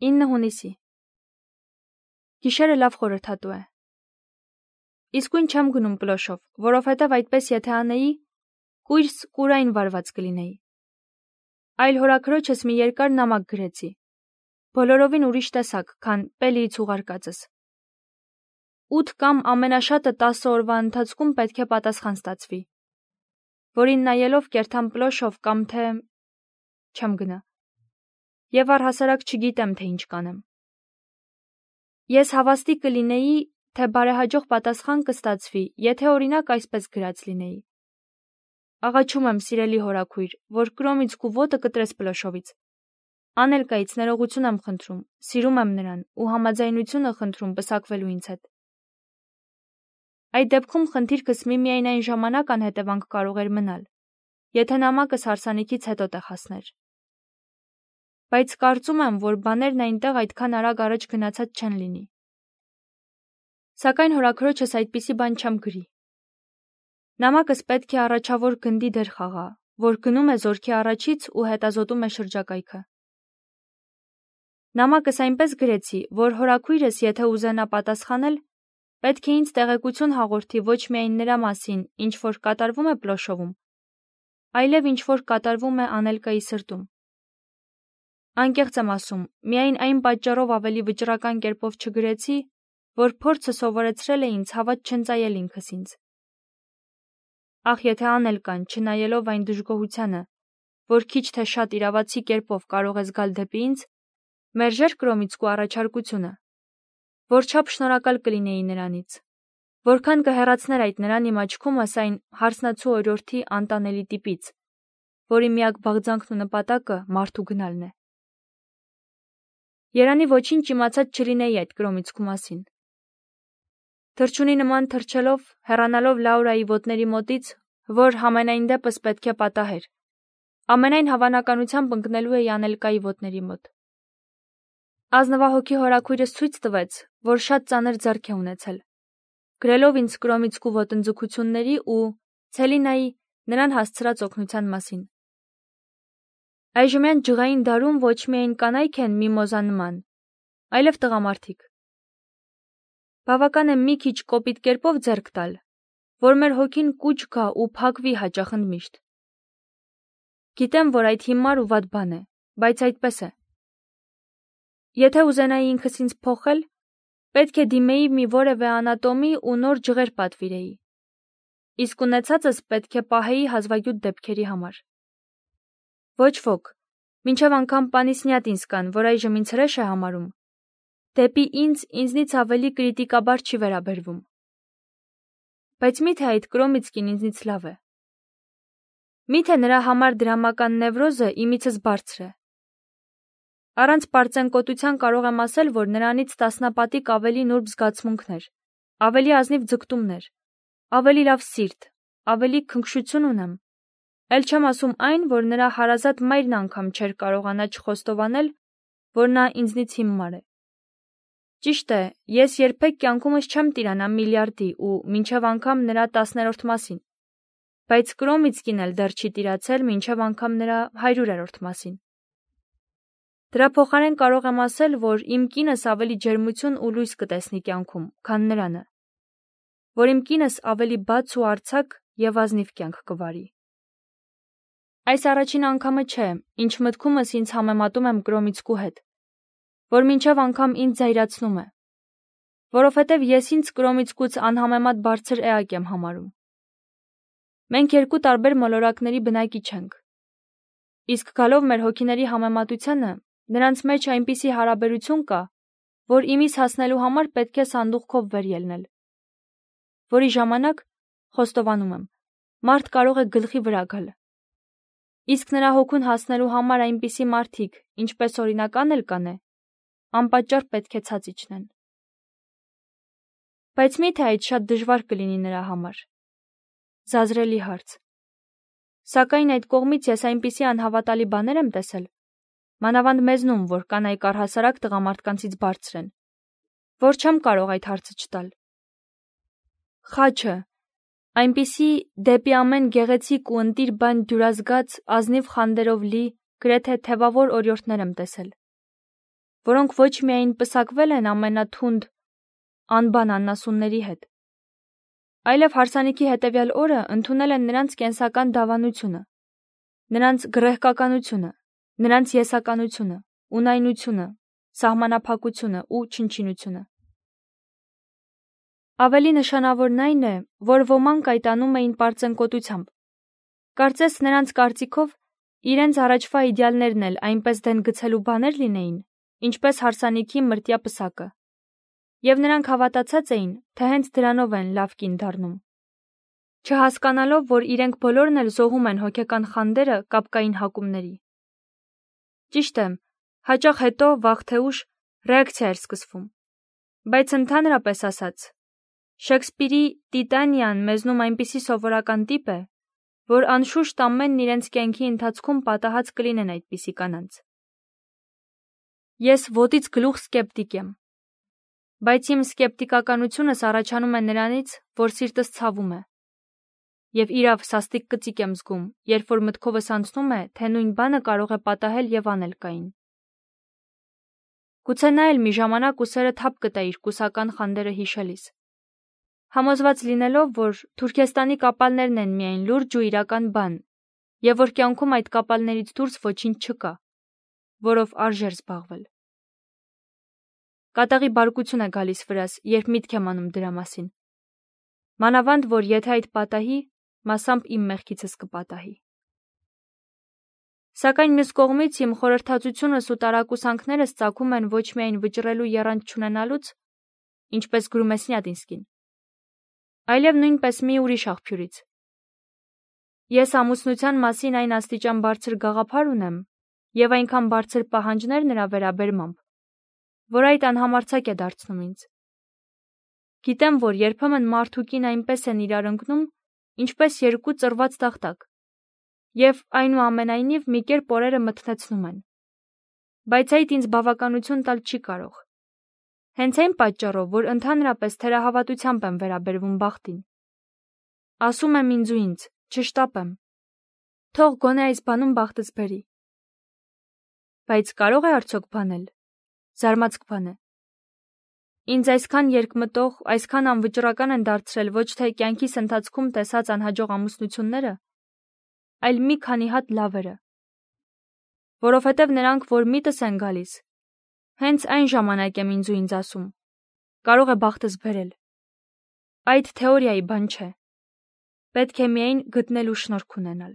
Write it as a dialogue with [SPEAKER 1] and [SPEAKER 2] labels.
[SPEAKER 1] 9 հունիսի։ Գիշերը լավ խորհրդատու է։ Իսկույն չեմ գնում պլոշով, որովհետև այդպես եթե անեի, կույրս կուրային վարված կլինեի։ Այլ հորաքրոջս մի երկար նամակ գրեցի, բոլորովին ուրիշ տեսակ, քան Պելիից ուղարկածս։ 8 կամ ամենաշատը 10 օրվա ընթացքում պետք է պատասխան ստացվի, որին նայելով կերթամ պլոշով կամ թե չեմ գնա։ Եվ առհասարակ չգիտեմ, թե ինչ կանեմ։ Ես հավաստի կլինեի, թե բարեհաջող պատասխան կստացվի, եթե օրինակ այսպես գրած լինեի. Աղաչում եմ, սիրելի հորաքույր, որ Կրոմիցկու ոտը կտրես պլոշովից։ Անելկայից ներողություն եմ խնդրում, սիրում եմ նրան ու համաձայնությունը խնդրում պսակվելու ինձ հետ։ Այդ դեպքում խնդիրքս միմիայն այն ժամանակ անհետևանք կարող էր մնալ, եթե նամակս հարսանիքից հետո տեղացներ։ Բայց կարծում եմ, որ բաներն այնտեղ այդքան արագ առաջ գնացած չեն լինի։ Սակայն հորաքրոջս այդպիսի բան չեմ գրի։ Նամակս պետք է առաջավոր գնդի դեր խաղա, որ գնում է զորքի առաջից ու հետազոտում է շրջակայքը։ Նամակս այնպես գրեցի, որ հորաքույրս, եթե ուզենա պատասխանել, պետք է ինձ տեղեկություն հաղորդի ոչ միայն նրա մասին, ինչ որ կատարվում է պլոշովում, այլև ինչ որ կատարվում է Անելկայի սրտում։ Անկեղծ եմ ասում, միայն այն պատճառով ավելի վճռական կերպով չգրեցի, որ փորձը սովորեցրել է ինձ հավատ չընծայել ինքս ինձ։ Ախ, եթե Անելկան, չնայելով այն դժգոհությանը, որ քիչ թե շատ իրավացի կերպով կարող է զգալ դեպի ինձ, մերժեր Կրոմիցկու առաջարկությունը, որչափ շնորհակալ կլինեի նրանից, որքան կհեռացներ այդ նրան իմ աչքումս այն հարսնացու օրիորդի անտանելի տիպից, որի միակ բաղձանքն ու նպատակը մարդու գնալն է։ Երանի ոչինչ իմացած չլինեի այդ Կրոմիցկու մասին։ Թռչունի նման թռչելով, հեռանալով Լաուրայի ոտների մոտից, որ համենայն դեպս պետք է պատահեր, ամենայն հավանականությամբ ընկնելու էի Անելկայի ոտների մոտ։ Ազնվահոգի հորաքույրս ցույց տվեց, որ շատ ծանր ձեռք է ունեցել, գրելով ինձ Կրոմիցկու ոտնձգությունների ու Ցելինայի նրան հասցրած օգնության մասին։ Այժմյան ջղային դարում ոչ միայն կանայք են միմոզա նման, այլև տղամարդիկ։ Բավական է մի քիչ կոպիտ կերպով ձեռք տալ, որ մեր հոգին կուչ գա ու փակվի հաճախընդ միշտ։ Գիտեմ, որ այդ հիմար ու վատ բան է, բայց այդպես է։ Եթե ուզենայի ինքս ինձ փոխել, պետք է դիմեի մի որևէ անատոմի ու նոր ջղեր պատվիրեի։ Իսկ ունեցածս պետք է պահեի հազվագյուտ դեպքերի համար։ Ոչ ոք, մինչև անգամ Պանիսնյատ ինձ կան, որ այժմ ինձ հրեշ է համարում, դեպի ինձնից ավելի կրիտիկաբար չի վերաբերվում։ Բայց միթե այդ Կրոմիցկին ինձնից լավ է։ Միթե նրա համար դրամական նևրոզը իմիցս բարձր է։ Առանց պարծենկոտության կարող եմ ասել, որ նրանից տասնապատիկ ավելի նուրբ զգացմունքներ, ավելի ազնիվ ձգտումներ, ավելի լավ սիրտ, ավելի քնքշություն ունեմ։ Էլ չեմ ասում այն, որ նրա հարազատ մայրն անգամ չէր կարողանա չխոստովանել, որ նա ինձնից հիմար է։ Ճիշտ է, ես երբեք կյանքումս չեմ տիրանա միլիարդի ու մինչև անգամ նրա 10-րդ մասին, բայց Կրոմիցկին էլ դեռ չի տիրացել մինչև անգամ նրա 100-րդ մասին։ Դրա փոխարեն կարող եմ ասել, որ իմ կինս ավելի ջերմություն ու լույս կտեսնի կյանքում, քան նրանը, որ իմ կինս ավելի բաց ու արձակ եւ ազնիվ կյանք կվարի։ Այս առաջին անգամը չէ, ինչ մտքումս ինձ համեմատում եմ Կրոմիցկու հետ, որ մինչև անգամ ինձ զայրացնում է, որովհետև ես ինձ Կրոմիցկուց անհամեմատ բարձր էակ եմ համարում։ Մենք երկու տարբեր մոլորակների բնակիչ ենք։ Իսկ գալով մեր հոգիների համեմատությանը, նրանց մեջ այնպիսի հարաբերություն կա, որ իմիս հասնելու համար պետք է սանդուղքով վեր ելնել, որի ժամանակ, խոստովանում եմ, մարդ կարող է գլխի վրա գալ։ Իսկ նրա հոգուն հասնելու համար այնպիսի մարդիկ, ինչպես օրինակ Անելկան է, անպատճառ պետք է ցած իջնեն։ Բայց միթե այդ շատ դժվար կլինի նրա համար։ Զազրելի հարց։ Սակայն այդ կողմից ես այնպիսի անհավատալի բաներ եմ տեսել, մանավանդ մեզնում, որ կանայք առհասարակ տղամարդկանցից բարձր են, որ չեմ կարող այդ հարցը չտալ։ Խաչը, այնպիսի դեպի ամեն գեղեցիկ ու ընտիր բան դյուրազգաց ազնիվ խանդերով լի, գրեթե թևավոր օրիորդներ եմ տեսել, որոնք ոչ միայն պսակվել են ամենաթունդ անբան աննասունների հետ, այլև հարսանիքի հետևյալ օրը ընդունել են նրանց կենսական դավանությունը, նրանց գռեհկականությունը, նրանց եսականությունը, ունայնությունը, սահմանափակությունը ու չնչինությունը։ Ավելի նշանավորն այն է, որ ոմանք այդ անում էին պարծենկոտությամբ։ Կարծես նրանց կարծիքով իրենց առաջվա իդեալներն էլ այնպես դեն գցելու բաներ լինեին, ինչպես հարսանիքի մրտյա պսակը, և նրանք հավատացած էին, թե հենց դրանով են լավ կին դառնում, չհասկանալով, որ իրենք բոլորն էլ զոհում են հոգեկան խանդերը կապկային հակումների։ Ճիշտ է, հաճախ հետո, վաղ թե ուշ, ռեակցիա էր սկսվում, բայց ընդհանրապես ասած, Շեքսպիրի Տիտանիան մեզնում այնպիսի սովորական տիպ է, որ անշուշտ ամենն իրենց կյանքի ընթացքում պատահած կլինեն այդպիսի կանանց։ Ես ոտից գլուխ սկեպտիկ եմ, բայց իմ սկեպտիկականությունս առաջանում է նրանից, որ սիրտս ցավում է, և իրավ սաստիկ կծիկ եմ զգում, երբ որ մտքովս անցնում է, թե նույն բանը կարող է պատահել և անել կային։ Գուցե նա էլ մի ժամանակ ուսերը թափ կտա իր կուսական խանդերը հիշելիս, համոզված լինելով, որ Թուրքեստանի կապալներն են միայն լուրջ ու իրական բան, և որ կյանքում այդ կապալներից դուրս ոչինչ չկա, որով արժեր զբաղվել։ Կատաղի բարկություն է գալիս վրաս, երբ միտք եմ անում դրա մասին։ Մանավանդ, որ եթե այդ պատահի, մասամբ իմ մեղքիցս կպատահի։ Սակայն մյուս կողմից իմ խորհրդածությունս ու տարակուսանքներս ծագում են ոչ միայն վճռելու եռանդ չունենալուց, ինչպես գրում է Սնյադինսկին, այլև նույնպես մի ուրիշ աղբյուրից։ Ես ամուսնության մասին այն աստիճան բարձր գաղափար ունեմ և այնքան բարձր պահանջներ նրա վերաբերմամբ, որ այդ անհամարձակ է դարձնում ինձ։ Գիտեմ, որ երբեմն մարդ ու կին այնպես են իրար ընկնում, ինչպես երկու ծռված տախտակ, և այնուամենայնիվ մի կերպ օրերը մթնեցնում են։ Բայց այդ ինձ բավականություն տալ չի կարող։ Հենց այն պատճառով, որ ընդհանրապես թերահավատությամբ եմ վերաբերվում բախտին։ Ասում եմ ինձ ու ինձ, չշտապեմ։ Թող գոնե այս բանում բախտս բերի։ Բայց կարո՞ղ է արդյոք բանել։ Զարմացք բան է։ Ինձ այսքան երկմտող, այսքան անվճռական են դարձրել ոչ թե կյանքիս ընթացքում տեսած անհաջող ամուսնությունները, այլ մի քանի հատ լավերը։ Որովհետև նրանք, որ միտս են գալիս, հենց այն ժամանակ եմ ինձ ու ինձ ասում, կարող է բախտս բերել։ Այդ թեորիայի բան չէ։ Պետք է միայն գտնելու շնորհք ունենալ։